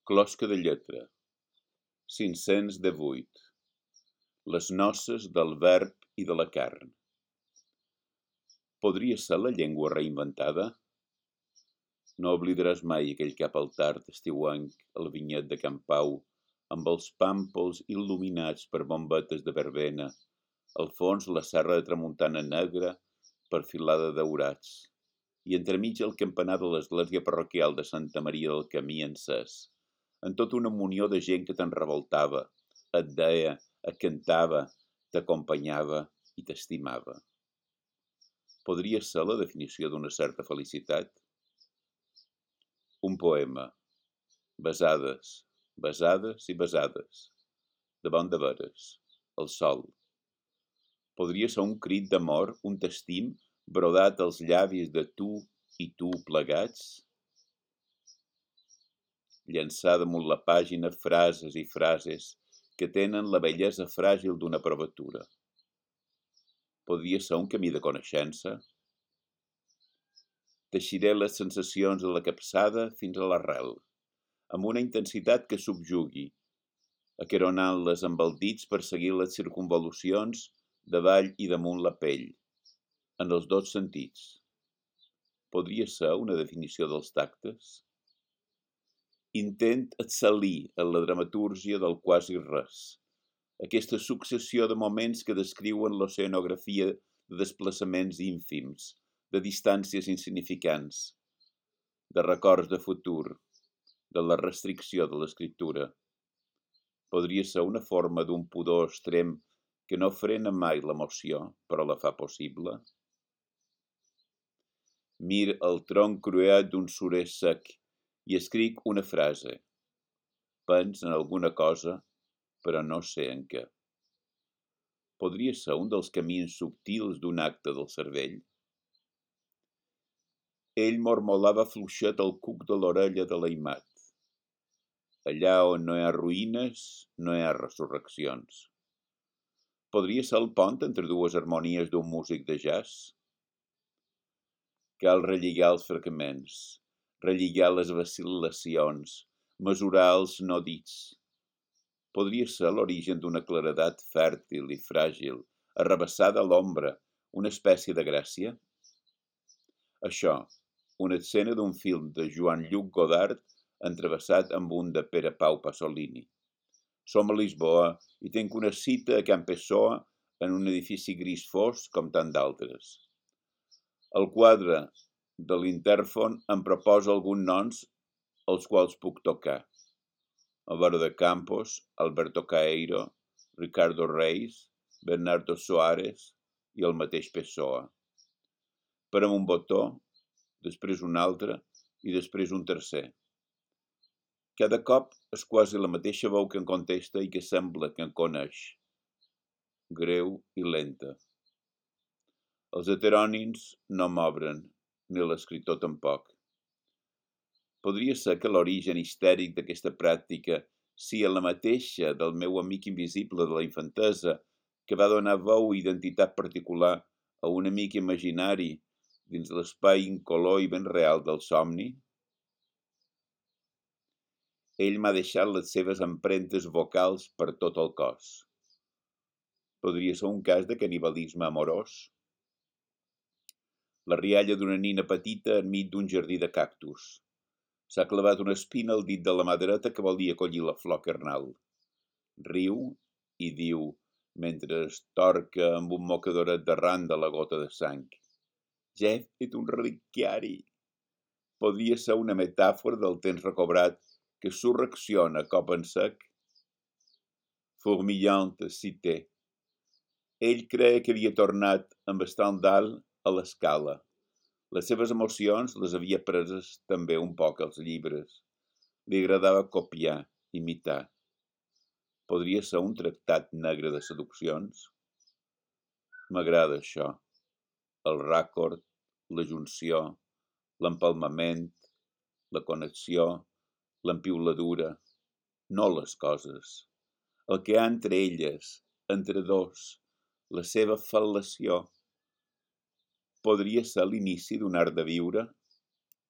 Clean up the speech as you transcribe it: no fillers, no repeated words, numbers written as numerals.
Closca de lletra, 518. Les noces del verb i de la carn. Podria ser la llengua reinventada? No oblidaràs mai aquell cap al tard estiuenc al vinyet de Can Pau, amb els pàmpols il·luminats per bombetes de verbena, al fons la serra de tramuntana negra perfilada de daurats, i entremig el campanar de l'església parroquial de Santa Maria del Camí encès, en tota una munió de gent que te'n revoltava, et deia, et cantava, t'acompanyava i t'estimava. Podria ser la definició d'una certa felicitat? Un poema. Besades, besades i besades. Davant de veres. El sol. Podria ser un crit d'amor, un t'estim, brodat als llavis de tu i tu plegats? Llançar damunt la pàgina frases i frases que tenen la bellesa fràgil d'una provatura. Podria ser un camí de coneixença? Teixiré les sensacions de la capçada fins a l'arrel, amb una intensitat que subjugui, aqueronant-les amb els dits per seguir les circunvolucions davall i damunt la pell, en els dos sentits. Podria ser una definició dels tactes? Intent excel·lir en la dramatúrgia del quasi res, aquesta successió de moments que descriuen l'oceanografia de desplaçaments ínfims, de distàncies insignificants, de records de futur, de la restricció de l'escriptura. Podria ser una forma d'un pudor extrem que no frena mai l'emoció, però la fa possible? Mir el tronc cruet d'un surer sec i escric una frase. Pens en alguna cosa, però no sé en què. Podria ser un dels camins subtils d'un acte del cervell? Ell mormolava fluixet el cuc de l'orella de l'aimat. Allà on no hi ha ruïnes, no hi ha resurreccions. Podria ser el pont entre dues harmonies d'un músic de jazz? Cal relligar els fragments, relligar les vacil·lacions, mesurar els no dits. Podria ser l'origen d'una claredat fèrtil i fràgil, arrabassada a l'ombra, una espècie de gràcia? Això, una escena d'un film de Joan-Lluc Godard entrevessat amb un de Pere Pau Pasolini. Som a Lisboa i tenc una cita a Can Pessoa en un edifici gris fosc com tant d'altres. El quadre de l'intèrfon em proposa alguns noms els quals puc tocar. Álvaro de Campos, Alberto Caeiro, Ricardo Reis, Bernardo Soares i el mateix Pessoa. Parem un botó, després un altre i després un tercer. Cada cop és quasi la mateixa veu que em contesta i que sembla que em coneix. Greu i lenta. Els heterònims no m'obren, ni l'escriptor tampoc. Podria ser que l'origen histèric d'aquesta pràctica sia la mateixa del meu amic invisible de la infantesa, que va donar veu i identitat particular a un amic imaginari dins l'espai incolor i ben real del somni? Ell m'ha deixat les seves empremtes vocals per tot el cos. Podria ser un cas de canibalisme amorós? La rialla d'una nina petita enmig d'un jardí de cactus. S'ha clavat una espina al dit de la mà dreta que volia collir la flor carnal. Riu i diu, mentre es torca amb un mocadoret d'arran de la gota de sang. Ja he fet un reliquiari. Podria ser una metàfora del temps recobrat que surrecciona cop en sec. Fourmillante cité. Ell creia que havia tornat amb Stendhal a l'escala. Les seves emocions les havia preses també un poc als llibres. Li agradava copiar, imitar. Podria ser un tractat negre de seduccions? M'agrada això. El ràcord, la junció, l'empalmament, la connexió, l'empiuladura. No les coses. El que hi ha entre elles, entre dos, la seva fal·lació. Podria ser l'inici d'un art de viure?